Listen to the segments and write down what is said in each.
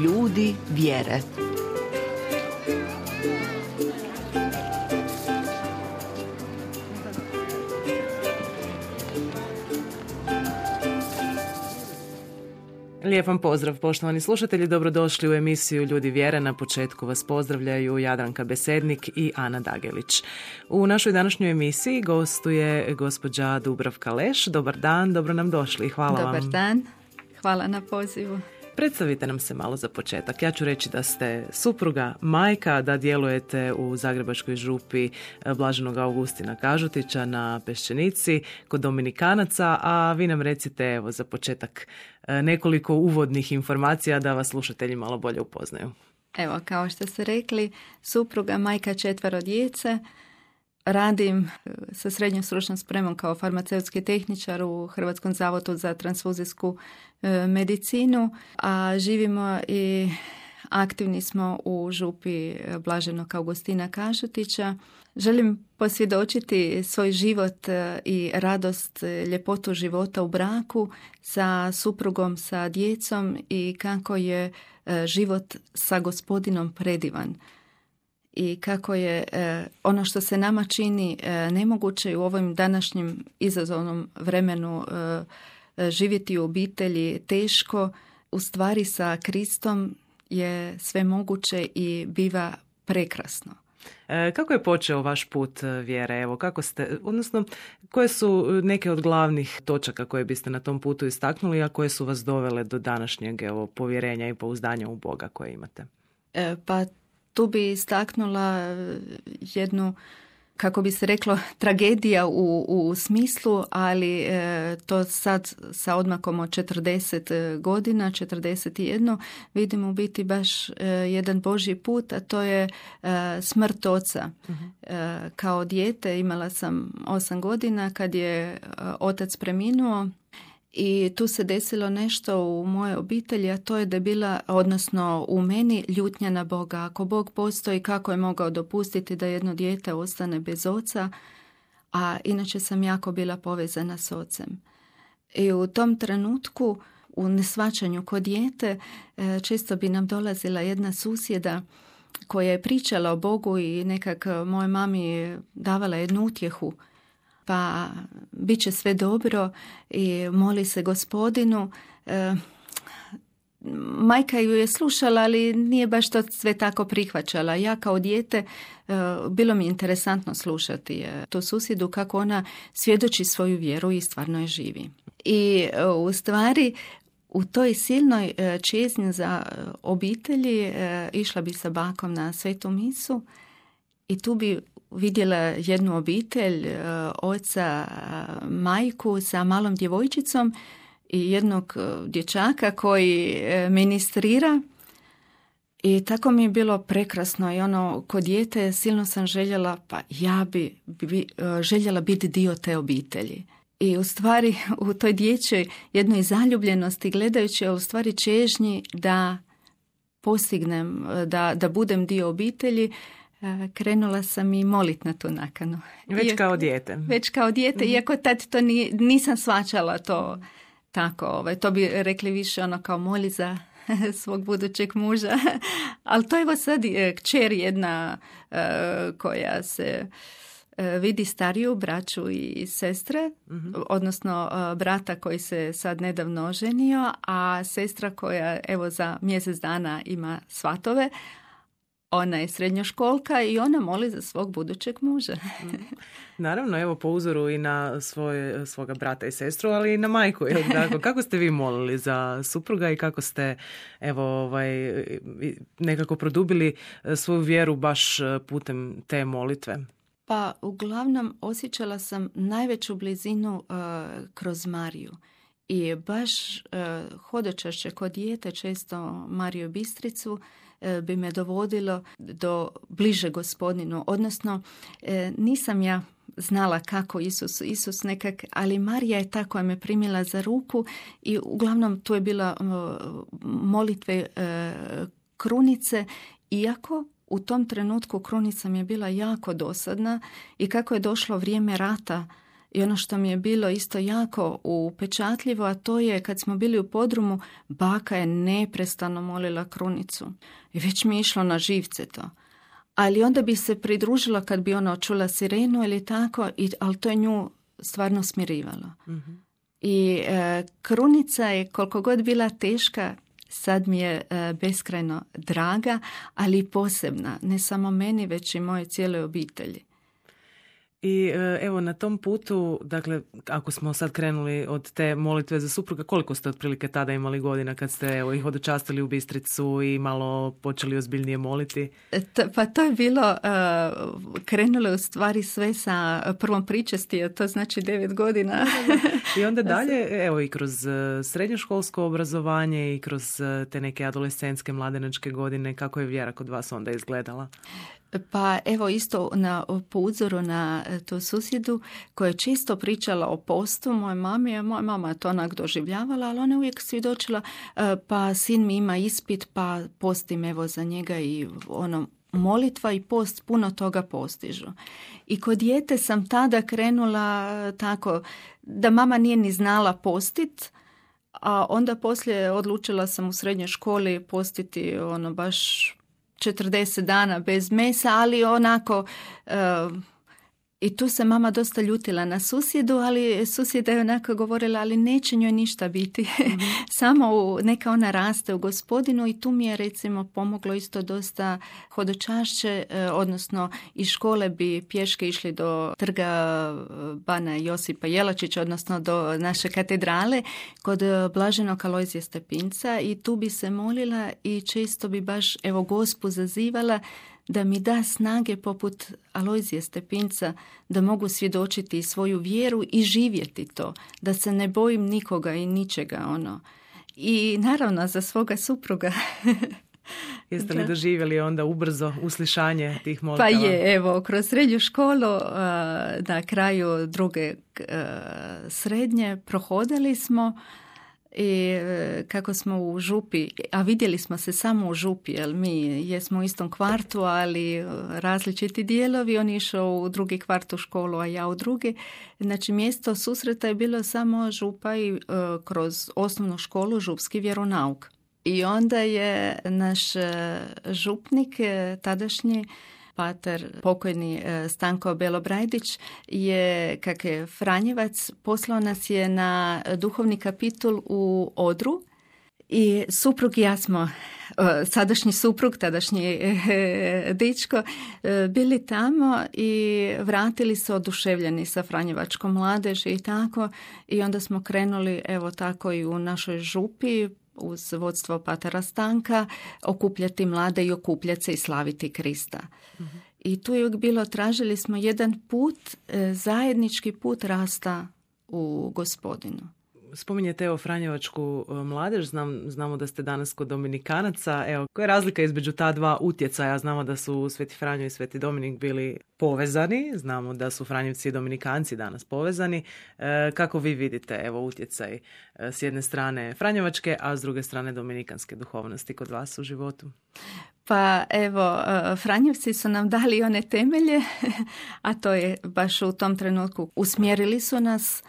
Ljudi vjere. Lijep vam pozdrav, poštovani slušatelji, dobrodošli u emisiju Ljudi vjere. Na početku vas pozdravljaju Jadranka Besednik i Ana Dagelić. U našoj današnjoj emisiji gostuje gospođa Dubravka Leš. Dobar dan, dobro nam došli. Hvala vam. Dobar dan, hvala na pozivu. Predstavite nam se malo za početak. Ja ću reći da ste supruga, majka, da djelujete u Zagrebačkoj župi Blaženog Augustina Kažutića na Peščenici kod Dominikanaca, a vi nam recite evo za početak nekoliko uvodnih informacija da vas slušatelji malo bolje upoznaju. Evo, kao što ste rekli, supruga, majka 4 djece. Radim sa srednjom stručnom spremom kao farmaceutski tehničar u Hrvatskom zavodu za transfuzijsku medicinu, a živimo i aktivni smo u župi Blaženog Augustina Kažutića. Želim posvjedočiti svoj život i radost, ljepotu života u braku sa suprugom, sa djecom i kako je život sa Gospodinom predivan. I kako je ono što se nama čini nemoguće u ovom današnjem izazovnom vremenu živjeti u obitelji teško, u stvari sa Kristom je sve moguće i biva prekrasno. Kako je počeo vaš put vjere? Evo, kako ste, odnosno, koje su neke od glavnih točaka koje biste na tom putu istaknuli, a koje su vas dovele do današnjeg povjerenja i pouzdanja u Boga koje imate? Pa tu bi istaknula jednu, kako bi se reklo, tragedija u smislu, ali to sad sa odmakom od 40 godina, 41, vidim u biti baš jedan Božji put, a to je smrt oca. Kao dijete imala sam 8 godina kad je otac preminuo. I tu se desilo nešto u mojoj obitelji, a to je da je bila, odnosno u meni, ljutnja na Boga. Ako Bog postoji, kako je mogao dopustiti da jedno dijete ostane bez oca, a inače sam jako bila povezana s ocem. I u tom trenutku, u neshvaćanju kod dijete, često bi nam dolazila jedna susjeda koja je pričala o Bogu i nekak moje mami davala jednu utjehu. Pa bit će sve dobro i moli se Gospodinu. Majka ju je slušala, ali nije baš to sve tako prihvaćala. Ja kao dijete bilo mi interesantno slušati tu susjedu kako ona svjedoči svoju vjeru i stvarno je živi. I u stvari u toj silnoj čezni za obitelji išla bi sa bakom na svetu misu i tu bi vidjela jednu obitelj, oca, majku sa malom djevojčicom i jednog dječaka koji ministrira. I tako mi je bilo prekrasno i kod dijete silno sam željela, pa ja bi željela biti dio te obitelji. I u stvari u toj dječjoj jednoj zaljubljenosti gledajući, u stvari čežnji da postignem, da budem dio obitelji, krenula sam i molit na tu nakanu. Kao dijete. Već kao dijete, iako tad to nisam shvaćala to tako. To bi rekli više kao moli za svog budućeg muža. Ali to je sad kćer jedna koja se vidi stariju braću i sestre, odnosno brata koji se sad nedavno oženio, a sestra koja evo za mjesec dana ima svatove. Ona je srednjoškolka i ona moli za svog budućeg muža. Naravno, evo po uzoru i na svoga brata i sestru, ali i na majku. Kako ste vi molili za supruga i kako ste nekako produbili svoju vjeru baš putem te molitve? Pa uglavnom osjećala sam najveću blizinu kroz Mariju. I baš hodočašće kod dijete, često Mariju Bistricu, bi me dovodilo do bliže Gospodinu. Odnosno, nisam ja znala kako Isus nekak, ali Marija je ta koja me primila za ruku i uglavnom tu je bila molitve krunice, iako u tom trenutku krunica mi je bila jako dosadna i kako je došlo vrijeme rata I ono što mi je bilo isto jako upečatljivo, a to je kad smo bili u podrumu, baka je neprestano molila krunicu. I već mi je išlo na živce to. Ali onda bi se pridružila kad bi ona čula sirenu ili tako, ali to je nju stvarno smirivalo. Mm-hmm. I krunica je koliko god bila teška, sad mi je beskrajno draga, ali i posebna. Ne samo meni, već i moje cijele obitelji. I evo na tom putu, dakle, ako smo sad krenuli od te molitve za supruga, koliko ste otprilike tada imali godina kad ste ih hodočastili u Bistricu i malo počeli ozbiljnije moliti? Pa to je bilo, krenulo u stvari sve sa prvom pričesti, a to znači 9 godina. I onda dalje, evo i kroz srednjoškolsko obrazovanje i kroz te neke adolescentske, mladenačke godine, kako je vjera kod vas onda izgledala? Pa evo isto po uzoru na tu susjedu koja je čisto pričala o postu moje mami, a moja mama je to onak doživljavala, ali ona uvijek svjedočila pa sin mi ima ispit pa postim evo za njega i ono molitva i post puno toga postižu. I kod dijete sam tada krenula tako da mama nije ni znala postit, a onda poslije odlučila sam u srednjoj školi postiti ono baš 40 dana bez mesa, ali onako i tu se mama dosta ljutila na susjedu, ali susjeda je onako govorila, ali neće njoj ništa biti. Mm-hmm. Samo neka ona raste u Gospodinu i tu mi je recimo pomoglo isto dosta hodočašće, odnosno iz škole bi pješke išli do trga Bana Josipa Jelačića, odnosno do naše katedrale kod Blaženog Alojzija Stepinca i tu bi se molila i često bi baš evo Gospu zazivala da mi da snage poput Alojzija Stepinca da mogu svjedočiti svoju vjeru i živjeti to, da se ne bojim nikoga i ničega ono. I naravno za svoga supruga. Jeste li doživjeli onda ubrzo uslišanje tih molitava? Pa je, evo, kroz srednju školu na kraju druge srednje prohodili smo i kako smo u župi, a vidjeli smo se samo u župi, jer mi jesmo u istom kvartu, ali različiti dijelovi, on je išao u drugi kvart u školu, a ja u drugi. Znači mjesto susreta je bilo samo župa i kroz osnovnu školu župski vjeronauk. I onda je naš župnik, tadašnji pater, pokojni Stanko Belobrajdić, je, kak je Franjevac, poslao nas je na duhovni kapitul u Odru i suprug i ja smo, sadašnji suprug, tadašnji dičko, bili tamo i vratili se oduševljeni sa franjevačkom mladeži i tako. I onda smo krenuli, evo tako i u našoj župi, uz vodstvo patera Stanka, okupljati mlade i okupljati se i slaviti Krista. Mm-hmm. I tu je bilo, tražili smo jedan put, zajednički put rasta u Gospodinu. Spominjete evo franjevačku mladež, znamo da ste danas kod Dominikanaca. Evo, koja je razlika između ta dva utjecaja? Znamo da su Sveti Franjo i Sveti Dominik bili povezani, znamo da su Franjevci i Dominikanci danas povezani. Kako vi vidite evo utjecaj s jedne strane franjevačke, a s druge strane dominikanske duhovnosti kod vas u životu? Pa evo, Franjevci su nam dali one temelje, a to je baš u tom trenutku usmjerili su nas.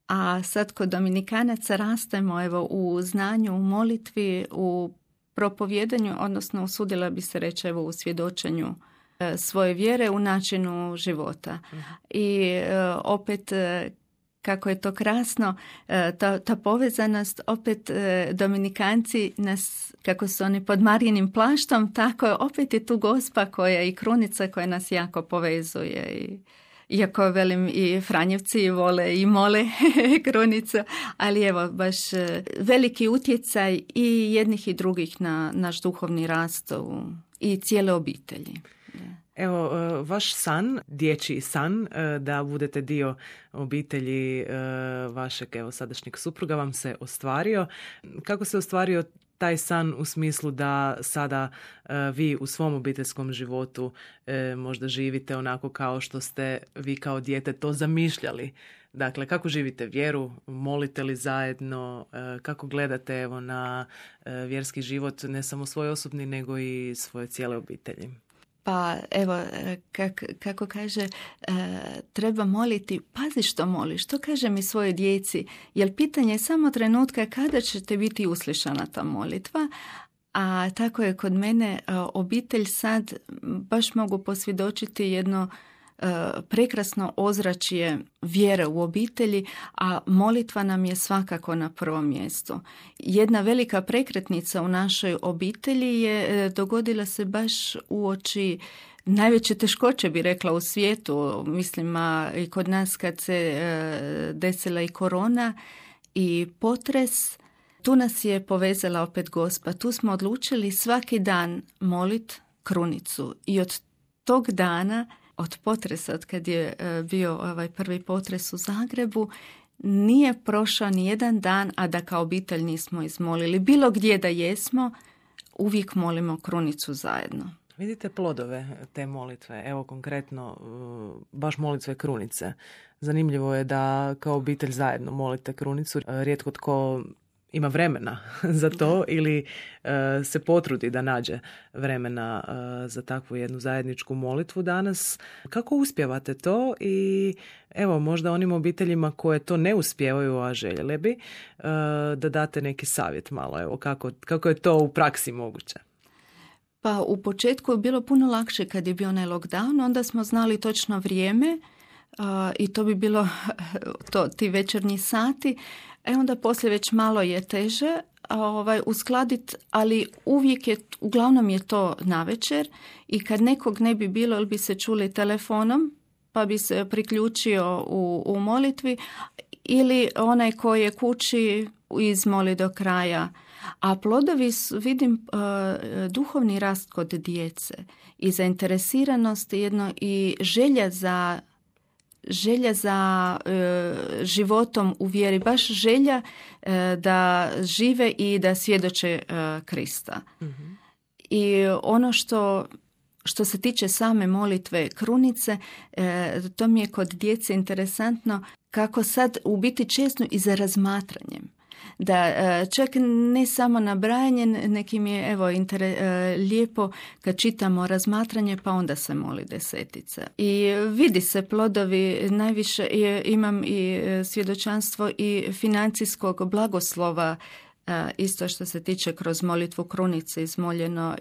A sad kod Dominikanaca rastemo evo, u znanju, u molitvi, u propovjedanju, odnosno usudila bi se reći evo, u svjedočenju svoje vjere, u načinu života. I opet, kako je to krasno, ta povezanost, opet Dominikanci nas, kako su oni pod Marijinim plaštom, tako opet je tu Gospa koja i krunica koja nas jako povezuje i iako velim i Franjevci vole i mole krunicu, ali evo baš veliki utjecaj i jednih i drugih na naš duhovni rast i cijele obitelji. Evo, vaš san, dječji san, da budete dio obitelji vašeg evo, sadašnjeg supruga vam se ostvario. Kako se ostvario taj san u smislu da sada vi u svom obiteljskom životu možda živite onako kao što ste vi kao dijete to zamišljali? Dakle, kako živite vjeru, molite li zajedno, kako gledate evo, na vjerski život, ne samo svoj osobni, nego i svoje cijele obitelji? Pa evo, kako kaže, treba moliti, pazi što moliš, to kažem i svojoj djeci, jer pitanje je samo trenutka kada ćete biti uslišana ta molitva, a tako je kod mene obitelj sad, baš mogu posvjedočiti jedno prekrasno ozračje vjere u obitelji, a molitva nam je svakako na prvom mjestu. Jedna velika prekretnica u našoj obitelji je dogodila se baš uoči najveće teškoće, bi rekla, u svijetu. Mislim, i kod nas kad se desila i korona i potres, tu nas je povezala opet Gospa. Tu smo odlučili svaki dan molit krunicu i od tog dana, od potresa, od kad je bio prvi potres u Zagrebu, nije prošao ni jedan dan, a da kao obitelj nismo izmolili. Bilo gdje da jesmo, uvijek molimo krunicu zajedno. Vidite plodove te molitve, evo konkretno baš molitve krunice. Zanimljivo je da kao obitelj zajedno molite krunicu. Rijetko tko ima vremena za to ili se potrudi da nađe vremena za takvu jednu zajedničku molitvu danas. Kako uspijevate to i evo možda onim obiteljima koje to ne uspijevaju, a željele bi, da date neki savjet malo, evo kako je to u praksi moguće? Pa u početku je bilo puno lakše kad je bio onaj lockdown, onda smo znali točno vrijeme i to bi bilo ti večernji sati. Onda poslije već malo je teže uskladiti, ali uglavnom je to navečer i kad nekog ne bi bilo ili bi se čuli telefonom pa bi se priključio u molitvi ili onaj koji je kući izmoli do kraja. A plodovi vidim duhovni rast kod djece i zainteresiranost jedno i želja za životom u vjeri, baš želja da žive i da svjedoče Krista. Mm-hmm. I ono što se tiče same molitve krunice, to mi je kod djece interesantno kako sad u biti često i za razmatranjem. Da čak ne samo nabrajanje, nekim je lijepo kad čitamo razmatranje pa onda se moli desetica. I vidi se plodovi, najviše imam i svjedočanstvo i financijskog blagoslova, isto što se tiče kroz molitvu krunice izmoljeno.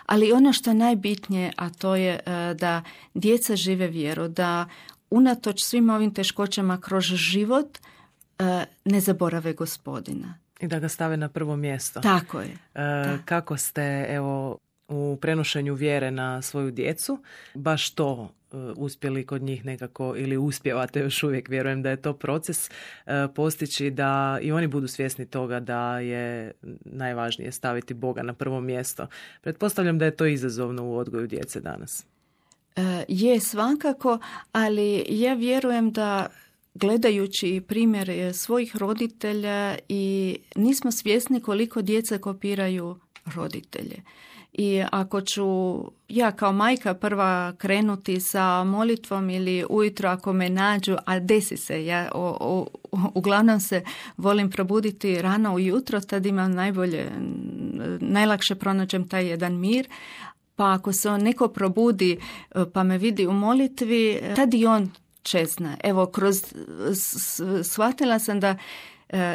Ali ono što je najbitnije, a to je da djeca žive vjeru, da unatoč svim ovim teškoćama kroz život ne zaborave Gospodina. I da ga stave na prvo mjesto. Tako je. Kako ste u prenošenju vjere na svoju djecu baš to uspjeli kod njih nekako ili uspijevate još uvijek, vjerujem da je to proces, postići da i oni budu svjesni toga da je najvažnije staviti Boga na prvo mjesto. Pretpostavljam da je to izazovno u odgoju djece danas. Je svakako, ali ja vjerujem da gledajući primjer svojih roditelja i nismo svjesni koliko djeca kopiraju roditelje. I ako ću ja kao majka prva krenuti sa molitvom ili ujutro ako me nađu, a desi se, ja uglavnom se volim probuditi rano ujutro, tad imam najlakše pronađem taj jedan mir, pa ako se neko probudi pa me vidi u molitvi, tad i on čezna. Evo, shvatila sam da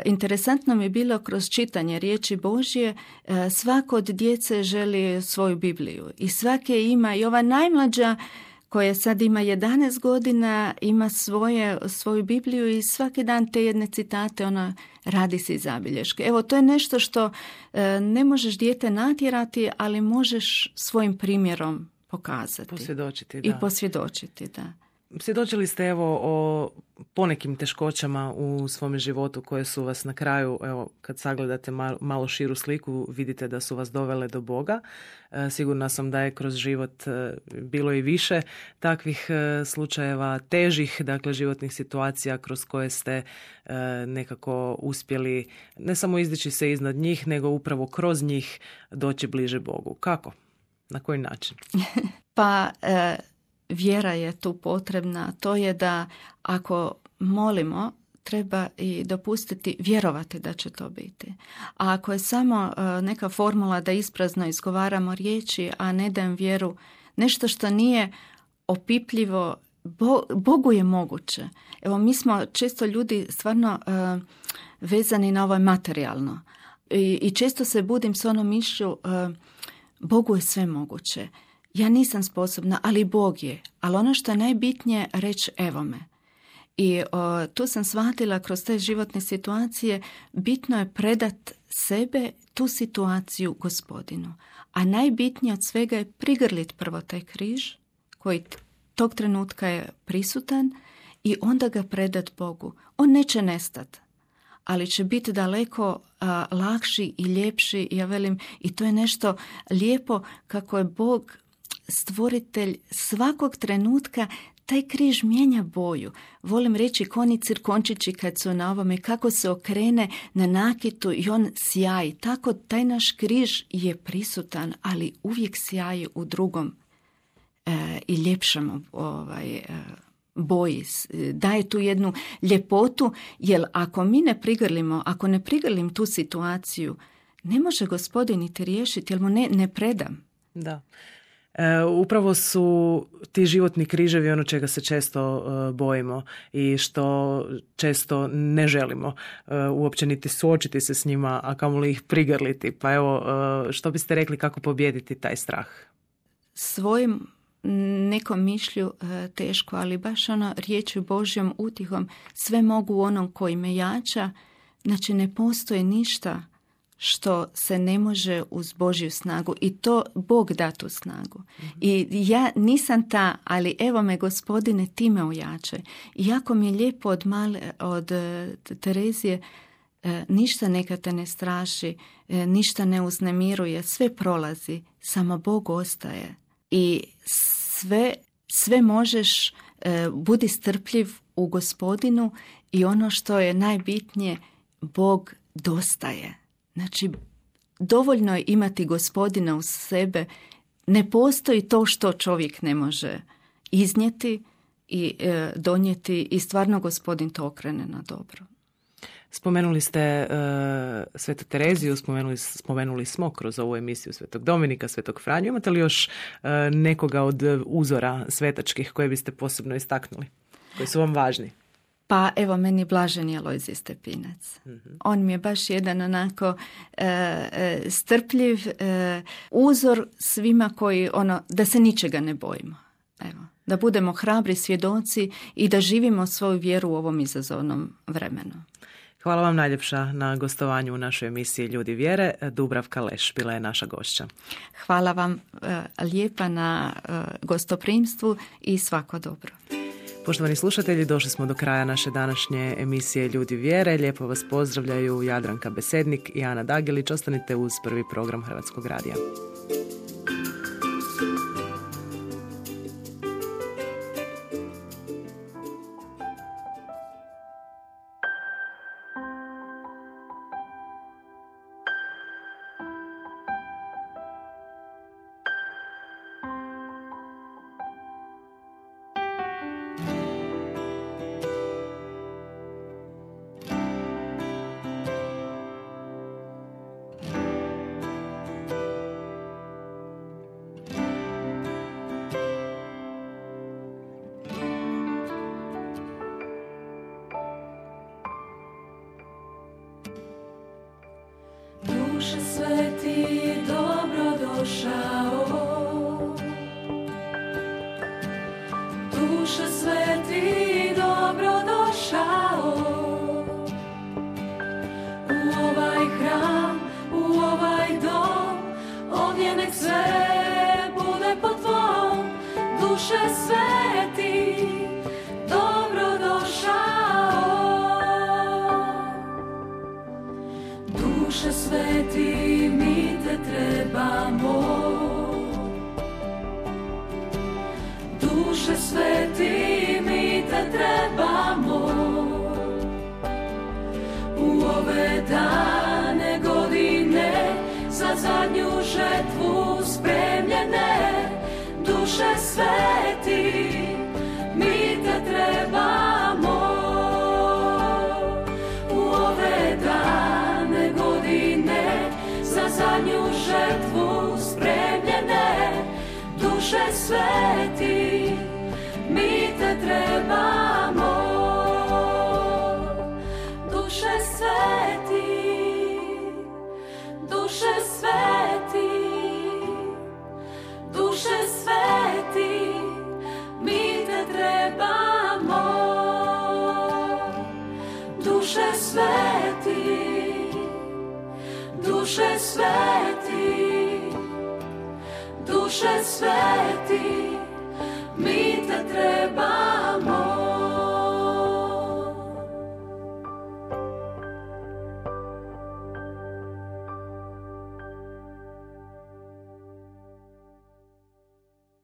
interesantno mi je bilo kroz čitanje riječi Božje, svako od djece želi svoju Bibliju i svake ima, i ova najmlađa koja sad ima 11 godina ima svoju Bibliju i svaki dan te jedne citate ona radi si zabilješke. Evo, to je nešto što ne možeš dijete natjerati, ali možeš svojim primjerom pokazati. Posvjedočiti, da. I posvjedočiti, da. Svjedočili ste o ponekim teškoćama u svome životu koje su vas na kraju, kad sagledate malo širu sliku, vidite da su vas dovele do Boga. Sigurna sam da je kroz život bilo i više takvih slučajeva, težih, dakle životnih situacija kroz koje ste nekako uspjeli ne samo izdići se iznad njih, nego upravo kroz njih doći bliže Bogu. Kako? Na koji način? Pa vjera je tu potrebna. To je da ako molimo, treba i dopustiti vjerovati da će to biti. A ako je samo neka formula da isprazno izgovaramo riječi, a ne dajem vjeru, nešto što nije opipljivo, Bogu je moguće. Evo, mi smo često ljudi stvarno vezani na ovo materijalno. I često se budim s onom mišlju, Bogu je sve moguće. Ja nisam sposobna, ali Bog je. Ali ono što je najbitnije, reći evo me. I tu sam shvatila kroz te životne situacije, bitno je predat sebe, tu situaciju Gospodinu. A najbitnije od svega je prigrlit prvo taj križ, koji tog trenutka je prisutan, i onda ga predat Bogu. On neće nestati, ali će biti daleko lakši i ljepši. Ja velim, i to je nešto lijepo kako je Bog stvoritelj svakog trenutka. Taj križ mijenja boju. Volim reći koni cirkončići kad su na ovome, kako se okrene na nakitu i on sjaji. Tako taj naš križ je prisutan, ali uvijek sjaji u drugom i ljepšem boji. Daje tu jednu ljepotu, jer ako mi ne prigrlimo, ako ne prigrlim tu situaciju, ne može Gospodin niti riješiti, jer mu ne predam. Da. Upravo su ti životni križevi ono čega se često bojimo i što često ne želimo uopće niti suočiti se s njima, a kamoli ih prigrliti. Pa evo, što biste rekli kako pobijediti taj strah? Svojim nekom mišlju teško, ali baš ono riječju Božjom utihom, sve mogu u onom koji me jača. Znači, ne postoji ništa što se ne može uz Božju snagu, i to Bog da tu snagu. I ja nisam ta, ali evo me Gospodine, ti me ojačaj. I jako mi je lijepo od Terezije, ništa neka te ne straši, ništa ne uznemiruje, sve prolazi, samo Bog ostaje. I sve možeš, budi strpljiv u Gospodinu, i ono što je najbitnije, Bog dostaje. Znači, dovoljno je imati Gospodina uz sebe. Ne postoji to što čovjek ne može iznijeti i donijeti, i stvarno Gospodin to okrene na dobro. Spomenuli ste Svetu Tereziju, spomenuli smo kroz ovu emisiju Svetog Dominika, Svetog Franju. Imate li još nekoga od uzora svetačkih koje biste posebno istaknuli, koji su vam važni? Pa evo, meni blaženi Alojzije Stepinac. On mi je baš jedan onako strpljiv uzor svima koji, da se ničega ne bojimo. Evo, da budemo hrabri svjedoci i da živimo svoju vjeru u ovom izazovnom vremenu. Hvala vam najljepša na gostovanju u našoj emisiji Ljudi vjere. Dubravka Leš bila je naša gošća. Hvala vam lijepa na gostoprimstvu i svako dobro. Poštovani slušatelji, došli smo do kraja naše današnje emisije Ljudi vjere. Lijepo vas pozdravljaju Jadranka Besednik i Ana Dagelić. Ostanite uz prvi program Hrvatskog radija. Duše sveti, dobro došao. Duše sveti, dobro došao. U ovaj hram, u ovaj dom, ovdje nek sve bude po tvom. Duše sveti, dobro došao. Duše sveti, mi te trebamo. Duše sveti, mi te trebamo. U ove dane godine za zadnju žetvu spremljene. Duše sveti, mi te trebamo. U ove dane godine za zadnju žetvu spremljene. Duše sveti, sveti, mi te trebamo. Duše sveti, duše sveti, duše sveti, mi te trebamo. Duše sveti, duše sveti, duše sveti, mi te trebamo.